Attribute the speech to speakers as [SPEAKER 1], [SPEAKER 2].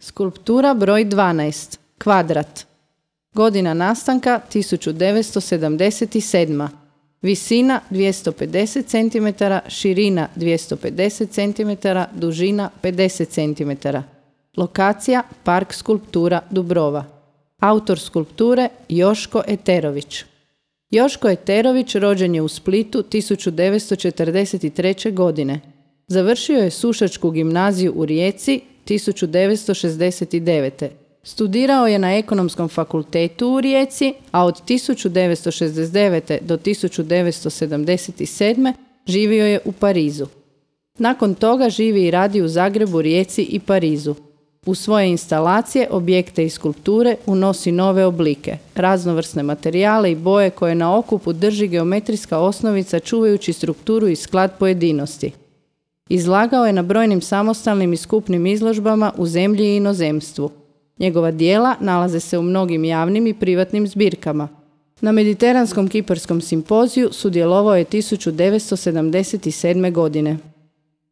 [SPEAKER 1] Skulptura broj 12. Kvadrat. Godina nastanka 1977. Visina 250 cm, širina 250 cm, dužina 50 cm. Lokacija Park skulptura Dubrova. Autor skulpture Joško Eterović. Joško Eterović rođen je u Splitu 1943. godine. Završio je Sušačku gimnaziju u Rijeci 1969. Studirao je na Ekonomskom fakultetu u Rijeci, a od 1969. do 1977. živio je u Parizu. Nakon toga živi i radi u Zagrebu, Rijeci i Parizu. U svoje instalacije, objekte i skulpture unosi nove oblike, raznovrsne materijale i boje koje na okupu drži geometrijska osnovica čuvajući strukturu i sklad pojedinosti. Izlagao je na brojnim samostalnim i skupnim izložbama u zemlji i inozemstvu. Njegova djela nalaze se u mnogim javnim i privatnim zbirkama. Na Mediteranskom kiparskom simpoziju sudjelovao je 1977. godine.